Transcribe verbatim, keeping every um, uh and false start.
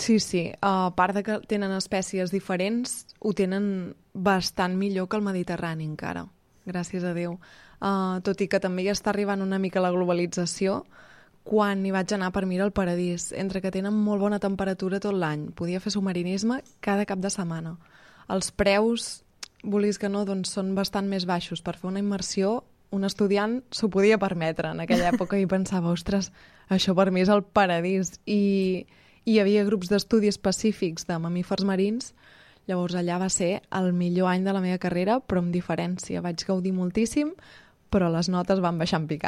Sí, sí. A part de que tenen espècies diferents, ho tenen bastant millor que el Mediterrani encara, gràcies a Déu. Uh, tot i que també ja està arribant una mica la globalització, quan hi vaig anar per mirar el paradís, entre que tenen molt bona temperatura tot l'any, podia fer submarinisme cada cap de setmana. Els preus, vulguis que no, doncs són bastant més baixos. Per fer una immersió, un estudiant s'ho podia permetre en aquella època i pensava, ostres, això per mi és el paradís. I hi havia grups d'estudi específics de mamífers marins, llavors allà va ser el millor any de la meva carrera, però amb diferència. Vaig gaudir moltíssim, però les notes van baixar en picat.